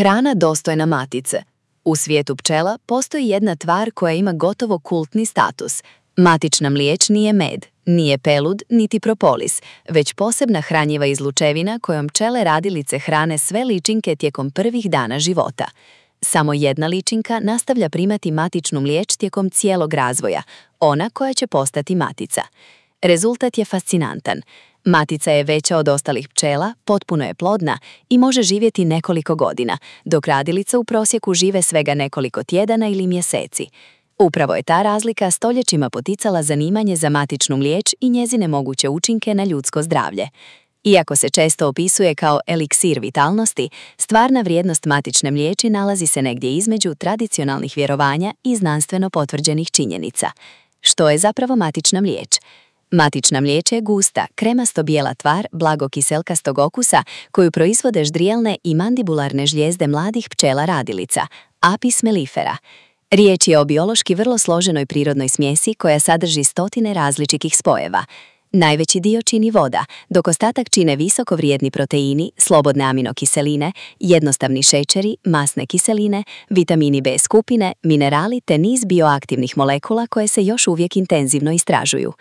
Hrana dostojna matice. U svijetu pčela postoji jedna tvar koja ima gotovo kultni status. Matična mliječ nije med, nije pelud, niti propolis, već posebna hranjiva izlučevina kojom pčele radilice hrane sve ličinke tijekom prvih dana života. Samo jedna ličinka nastavlja primati matičnu mliječ tijekom cijelog razvoja, ona koja će postati matica. Rezultat je fascinantan. Matica je veća od ostalih pčela, potpuno je plodna i može živjeti nekoliko godina, dok radilice u prosjeku žive svega nekoliko tjedana ili mjeseci. Upravo je ta razlika stoljećima poticala zanimanje za matičnu mliječ i njezine moguće učinke na ljudsko zdravlje. Iako se često opisuje kao eliksir vitalnosti, stvarna vrijednost matične mliječi nalazi se negdje između tradicionalnih vjerovanja i znanstveno potvrđenih činjenica. Što je zapravo matična mliječ? Matična mliječ je gusta, kremasto-bijela tvar blago-kiselkastog okusa koju proizvode ždrijelne i mandibularne žlijezde mladih pčela radilica, Apis mellifera. Riječ je o biološki vrlo složenoj prirodnoj smjesi koja sadrži stotine različitih spojeva. Najveći dio čini voda, dok ostatak čine visoko vrijedni proteini, slobodne aminokiseline, jednostavni šećeri, masne kiseline, vitamini B skupine, minerali te niz bioaktivnih molekula koje se još uvijek intenzivno istražuju.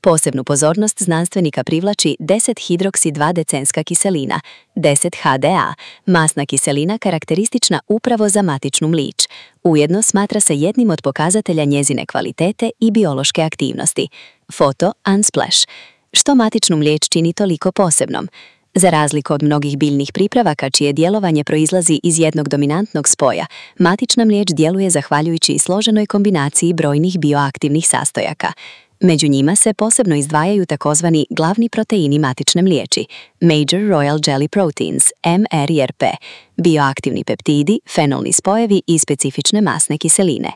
Posebnu pozornost znanstvenika privlači 10-hidroksi-2-decenska kiselina, 10-HDA, masna kiselina karakteristična upravo za matičnu mliječ. Ujedno smatra se jednim od pokazatelja njezine kvalitete i biološke aktivnosti. Foto Unsplash. Što matičnu mliječ čini toliko posebnom? Za razliku od mnogih biljnih pripravaka čije djelovanje proizlazi iz jednog dominantnog spoja, matična mliječ djeluje zahvaljujući složenoj kombinaciji brojnih bioaktivnih sastojaka. Među njima se posebno izdvajaju takozvani glavni proteini matične mliječi, Major Royal Jelly Proteins, MRJP, bioaktivni peptidi, fenolni spojevi i specifične masne kiseline.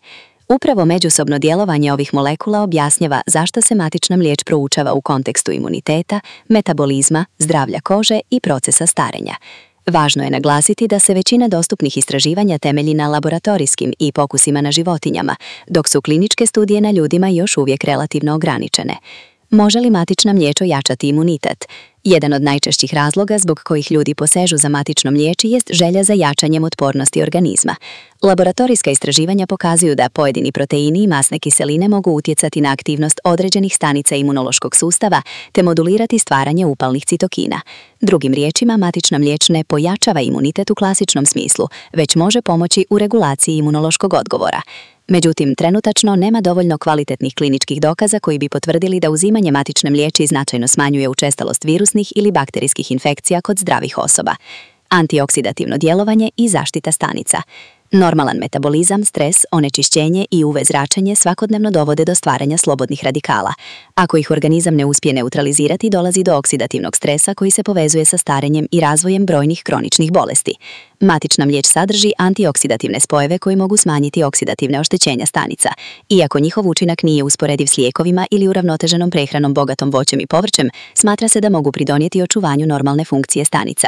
Upravo međusobno djelovanje ovih molekula objašnjava zašto se matična mliječ proučava u kontekstu imuniteta, metabolizma, zdravlja kože i procesa starenja. Važno je naglasiti da se većina dostupnih istraživanja temelji na laboratorijskim i pokusima na životinjama, dok su kliničke studije na ljudima još uvijek relativno ograničene. Može li matična mliječ ojačati imunitet? Jedan od najčešćih razloga zbog kojih ljudi posežu za matičnom mliječi jest želja za jačanjem otpornosti organizma. Laboratorijska istraživanja pokazuju da pojedini proteini i masne kiseline mogu utjecati na aktivnost određenih stanica imunološkog sustava te modulirati stvaranje upalnih citokina. Drugim riječima, matična mliječ ne pojačava imunitet u klasičnom smislu, već može pomoći u regulaciji imunološkog odgovora. Međutim, trenutačno nema dovoljno kvalitetnih kliničkih dokaza koji bi potvrdili da uzimanje matične mliječi značajno smanjuje učestalost virusnih ili bakterijskih infekcija kod zdravih osoba. Antioksidativno djelovanje i zaštita stanica. Normalan metabolizam, stres, onečišćenje i UV zračenje svakodnevno dovode do stvaranja slobodnih radikala. Ako ih organizam ne uspije neutralizirati, dolazi do oksidativnog stresa koji se povezuje sa starenjem i razvojem brojnih kroničnih bolesti. Matična mliječ sadrži antioksidativne spojeve koji mogu smanjiti oksidativne oštećenja stanica. Iako njihov učinak nije usporediv s lijekovima ili uravnoteženom prehranom bogatom voćem i povrćem, smatra se da mogu pridonijeti očuvanju normalne funkcije stanica.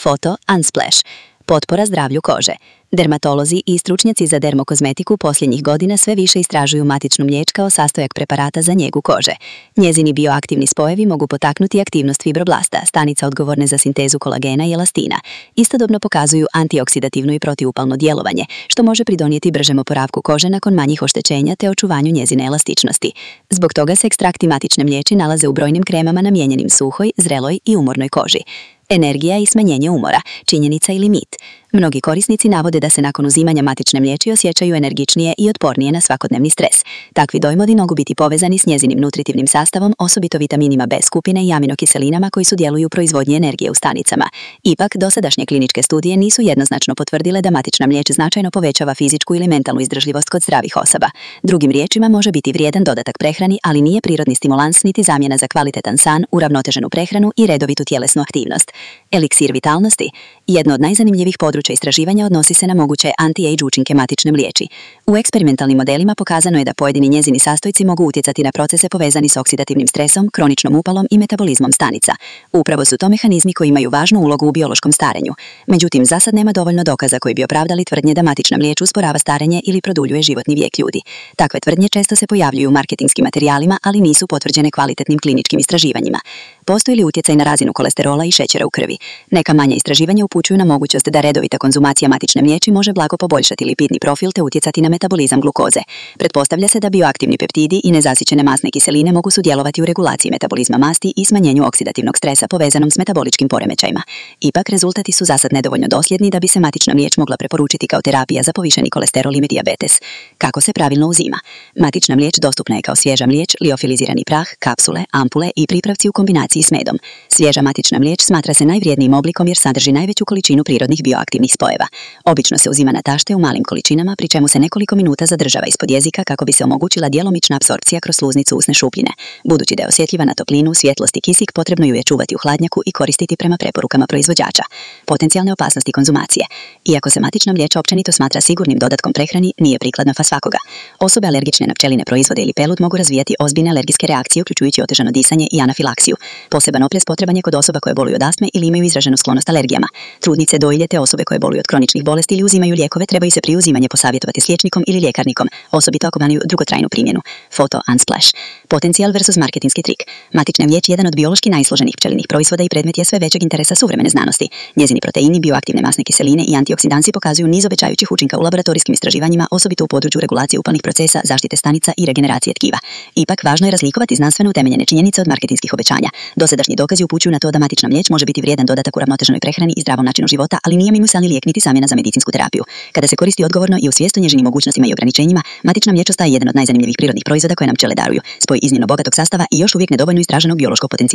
Foto Unsplash. Potpora zdravlju kože. Dermatolozi i stručnjaci za dermokozmetiku posljednjih godina sve više istražuju matičnu mliječ kao sastojak preparata za njegu kože. Njezini bioaktivni spojevi mogu potaknuti aktivnost fibroblasta, stanica odgovorne za sintezu kolagena i elastina. Istodobno pokazuju antioksidativno i protiupalno djelovanje, što može pridonijeti bržem oporavku kože nakon manjih oštećenja te očuvanju njezine elastičnosti. Zbog toga se ekstrakti matične mliječi nalaze u brojnim kremama namijenjenim suhoj, zreloj i umornoj koži. Energija i smanjenje umora, činjenica ili mit. Mnogi korisnici navode da se nakon uzimanja matične mliječi osjećaju energičnije i otpornije na svakodnevni stres. Takvi dojmodi mogu biti povezani s njezinim nutritivnim sastavom, osobito vitaminima B skupine i aminokiselinama koji sudjeluju u proizvodnji energije u stanicama. Ipak, dosadašnje kliničke studije nisu jednoznačno potvrdile da matična mliječ značajno povećava fizičku ili mentalnu izdržljivost kod zdravih osoba. Drugim riječima, može biti vrijedan dodatak prehrani, ali nije prirodni stimulans niti zamjena za kvalitetan san, uravnoteženu prehranu i redovitu tjelesnu aktivnost. Eliksir vitalnosti. Jedno od najzanimljivijih područja istraživanja odnosi se na moguće anti-age učinke matične mliječi. U eksperimentalnim modelima pokazano je da pojedini njezini sastojci mogu utjecati na procese povezani s oksidativnim stresom, kroničnom upalom i metabolizmom stanica. Upravo su to mehanizmi koji imaju važnu ulogu u biološkom starenju. Međutim, zasad nema dovoljno dokaza koji bi opravdali tvrdnje da matična mliječ usporava starenje ili produljuje životni vijek ljudi. Takve tvrdnje često se pojavljuju u marketingskim materijalima, ali nisu potvrđene kvalitetnim kliničkim istraživanjima. Postoji li utjecaj na razinu kolesterola i šećera u krvi? Neka manja istraživanja upućuju na mogućnost da redovita konzumacija matične mliječi može blago poboljšati lipidni profil te utjecati na metabolizam glukoze. Pretpostavlja se da bioaktivni peptidi i nezasićene masne kiseline mogu sudjelovati u regulaciji metabolizma masti i smanjenju oksidativnog stresa povezanom s metaboličkim poremećajima. Ipak, rezultati su zasad nedovoljno dosljedni da bi se matična mliječ mogla preporučiti kao terapija za povišeni kolesterol i dijabetes. Kako se pravilno uzima? Matična mliječ dostupna je kao svježa mliječ, liofilizirani prah, kapsule, ampule i pripravci u kombinaciji s medom. Svježa matična mliječ smatra se najvrijednijim oblikom jer sadrži najveću količinu prirodnih bioaktivnih spojeva. Obično se uzima na tašte u malim količinama, pri čemu se nekoliko minuta zadržava ispod jezika kako bi se omogućila djelomična apsorpcija kroz sluznicu usne šupljine. Budući da je osjetljiva na toplinu, svjetlost i kisik, potrebno ju je čuvati u hladnjaku i koristiti prema preporukama proizvođača. Potencijalne opasnosti konzumacije. Iako se matična mliječ općenito smatra sigurnim dodatkom prehrani, nije prikladna za svakoga. Osobe alergične na pčeline proizvode ili pelud mogu razvijati ozbiljne alergijske reakcije uključujući otežano disanje i anafilaksiju. Poseban oprez potreban je kod osoba koje boluju od astme ili imaju izraženu sklonost alergijama. Trudnice, dojilje te osobe koje boluju od kroničnih bolesti ili uzimaju lijekove trebaju se prije uzimanja posavjetovati s liječnikom ili ljekarnikom, osobito ako imaju dugotrajnu primjenu. Foto Unsplash. Potencijal versus marketinski trik. Matična mliječ je jedan od biološki najsloženijih pčelinjih proizvoda i predmet je sve većeg interesa suvremene znanosti. Njezini proteini, bioaktivne masne kiseline i antioksidansi pokazuju niz obećajućih učinka u laboratorijskim istraživanjima, osobito u području regulacije upalnih procesa, zaštite stanica i regeneracije tkiva. Ipak, važno je razlikovati znanstveno utemeljene činjenice od marketinskih obećanja. Dosadašnji dokazi upućuju na to da matična mliječ može biti vrijedan dodatak uravnoteženoj prehrani i zdravom načinu života, ali nije univerzalni lijek niti zamjena za medicinsku terapiju. Kada se koristi odgovorno i u svijest o njezinim mogućnostima i ograničenjima, matična mliječ ostaje jedan od najzanimljivijih prirodnih proizvoda koje nam pčele daruju. Spoj iznimno bogatog sastava i još uvijek nedovoljno istraženog biološkog potencijala.